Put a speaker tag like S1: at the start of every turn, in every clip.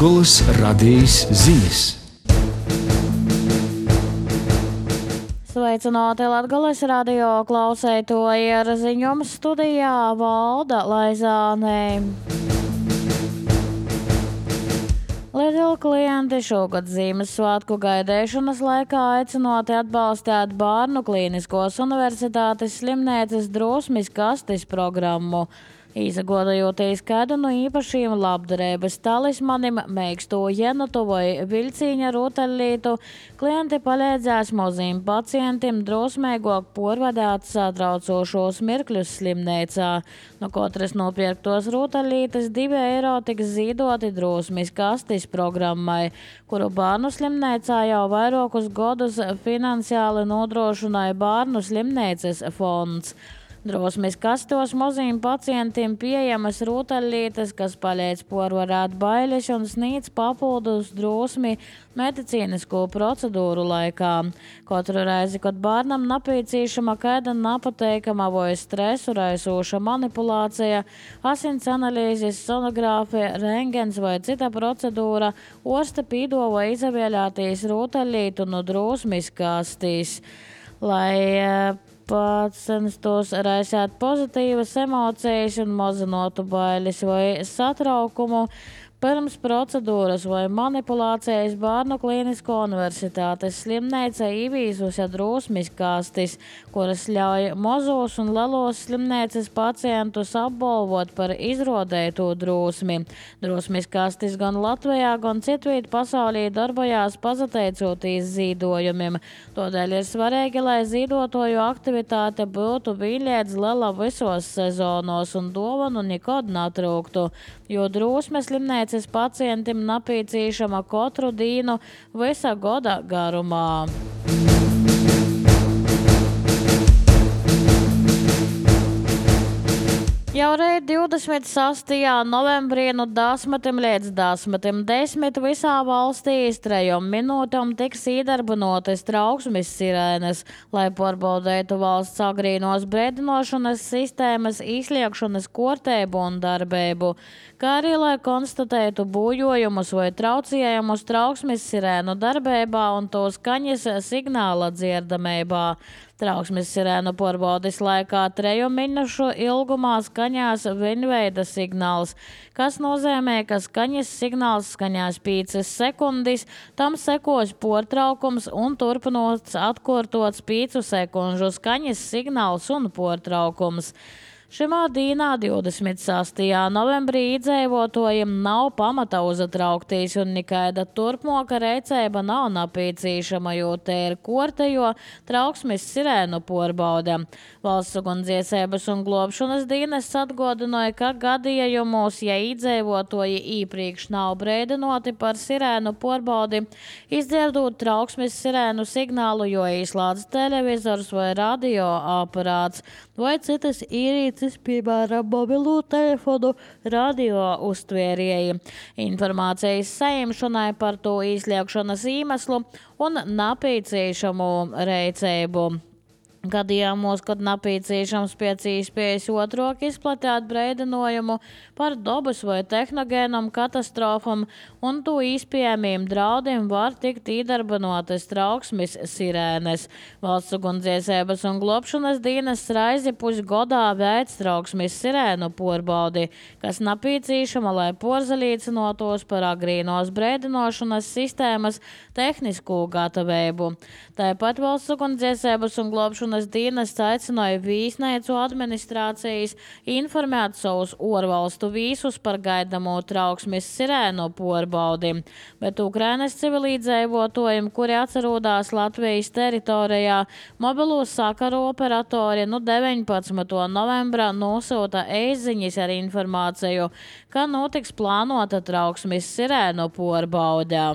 S1: Latgoles radijas ziņas.
S2: Sveicināti Latgoles radio klausētoji, ar ziņojumu studijā Valda Laizāne. Lieli klienti šogad Ziemassvētku gaidīšanas laikā aicinoti atbalstīt Bārnu Klīniskos universitātes slimnīcas drosmes kastes programmu. Izgodojotīs kādu no īpašiem labdarības talismanim, meiksto jenatu vai viļcīņa rotaļlietu, klienti palīdzēs maziem pacientiem drosmīgāk porvadāt satraucošos mirkļus slimnīcā. No katras nopirktos rotaļlietes 2 eiro tiks ziedoti drosmes kastes programmai, kuru bērnu slimnīcā jau vairākus gadus finansiāli nodrošināja Bērnu slimnīcas fonds. Drosmes kastos maziem pacientiem pieejamas rotaļlietes, kas palīdz porvarēt bailes un sniedz papildus drosmi medicīnisko procedūru laikā. Katru reizi, kad bērnam nepieciešama kāda nepateikama vai stresu raisoša manipulācija, asins analīzes, sonogrāfija, rengens vai cita procedūra, ārste piedāvā izvēlēties rotaļlietu no drosmes kastīs, lai pats censtos raisīt pozitīvas emocijas un mazinātu bailes vai satraukumu. Pirms procedūras vai manipulācijas Bārnu Klīnisko universitātes slimnīca ieviesusi drosmes kastes, kuras ļauj mazos un lielos slimnīcas pacientus apbalvot par izrādīto drosmi. Drosmes kastes gan Latvijā, gan citviet pasaulī darbojās pateicoties ziedojumiem. Tādēļ ir svarīgi, lai ziedotāju aktivitāte būtu vienlīdz liela visos sezonos un dāvanu nekad netrūktu, jo drosmes slimnīca pacientiem nepieciešama katru dienu visa gada garumā. Jau rīt 26. novembrī no 10 līdz 10 visā valstī 3 minūtēm tiks iedarbinotas trauksmes sirēnas, lai pārbaudītu valsts agrīnos brēdinošanas sistēmas izsliekšanas kārtību un darbību, kā arī lai konstatētu bojājumus vai traucējumus trauksmes sirēnu darbībā un to skaņas signāla dzirdamībā. Trauksmes sirēnu pārbaudes laikā 3 minūšu ilgumā skaņās vienveida signāls, kas nozīmē, ka skaņas signāls skaņās 5 sekundes, tam sekos pārtraukums un turpinots atkārtots 5 sekundžu skaņas signāls un pārtraukums. Šimā dīnā 26. novembrī iedzīvotājiem nav pamata uzatraukties un nekāda turpmāka rīcība nav nepieciešama, jo te ir kārtējo trauksmes sirēnu pārbaude. Valsts ugunsdzēsības un glābšanas dienests atgādināja, ka gadījumos, ja iedzīvotāji iepriekš nav brēdinoti par sirēnu pārbaudi, izdzirdot trauksmes sirēnu signālu, jo izslēdz televizors vai radioaparāts vai citas ierīces, piemēram, mobilo telefonu, radio uztvērēji. Informācijas saņemšanai par to izslēgšanas iemeslu un nepieciešamu rīcību. Gadījumos, kad nepieciešams pēc iespējas otrāk izplatīt brēdinājumu par dabas vai tehnogēnām katastrofām un to iespējamiem draudiem var tikt iedarbinotas trauksmes sirēnes. Valsts ugunsdzēsības un glābšanas dienests reizi pusgadā veic trauksmes sirēnu pārbaudi, kas nepieciešama, lai porzelīcinotos par agrīnos brēdināšanas sistēmas tehnisko gatavību. Tāpat valsts ugunsdzēsības un glābšanas dienests aicināja vīznīcu administrācijas informēt savus ārvalstu vīsus par gaidamo trauksmes sirēnu pārbaudi, bet Ukrainas civilizēvotājiem, kuri atcerodās Latvijas teritorijā, mobilo sakaru operatori 19. novembrā nosūta e-ziņas ar informāciju, ka notiks plānota trauksmes sirēnu pārbaude.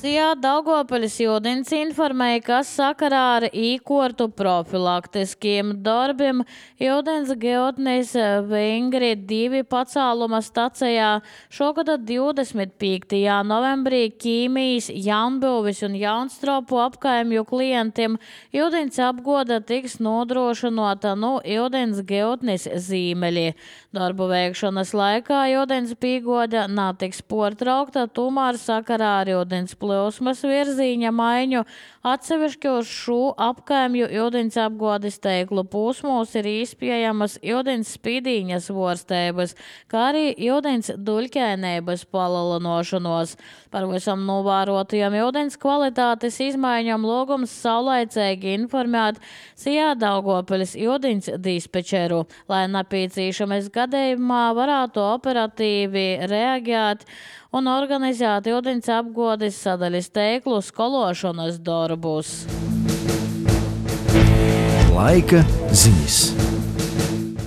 S2: Sijā Daugopaļas jūdens informēja, ka sakarā ar īkortu profilaktiskiem darbiem jūdens geotnēs Vingri 2 pacēluma stacijā šogad 25. novembrī Ķīmijas, Jaunbūvis un Jaunstropu apkaimju klientiem jūdens apgoda tiks nodrošinota jūdens geotnēs zīmeļi. Darbu veikšanas laikā jūdens pīgoda natiks portraukta, tomēr sakarā ar jūdens plūsmas virzīņa maiņu atsevišķi uz šo apkaimju jūdens apgādes teiklu posmos ir izpiejamas jūdens spīdīņas vorstēbas, kā arī jūdens duļķēnēbas palielinošanos. Par visam novērotajām jūdens kvalitātes izmaiņām lūgums saulaicīgi informēt Sijā Daugopaļas jūdens dispečeru, lai nepieciešamies gadījumā varētu operatīvi reaģēt un organizēt jūdens apgādes sadaļas teiklu skološanas darbus.
S1: Laika ziņas.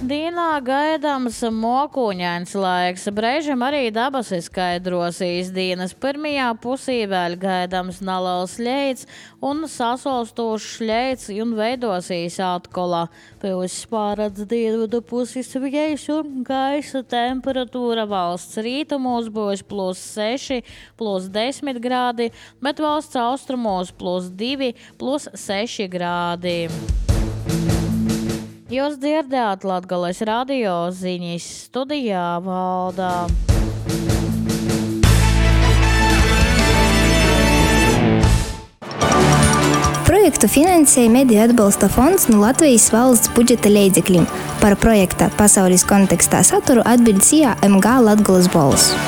S2: Dīnā gaidāms mokuņains laiks, brēžam arī dabas izskaidrosīs. Dienas pirmajā pusī vēl gaidāms neliels ļeits un sasolstošs ļeits un veidosīs atkola. Pēc pārādz dienvidu puses vējš un gaisa temperatūra valsts rītumos būs +6, +10 grādi, bet valsts austrumos +2, +6 grādi. Jūs dzirdējāt Latgales radio ziņas, studijā Valdā.
S3: Projektu finansēja Mediju atbalsta fonds no Latvijas valsts budžeta līdzekļiem. Par projekta pasaules kontekstā saturu atbild Sijā MG Latgales balss.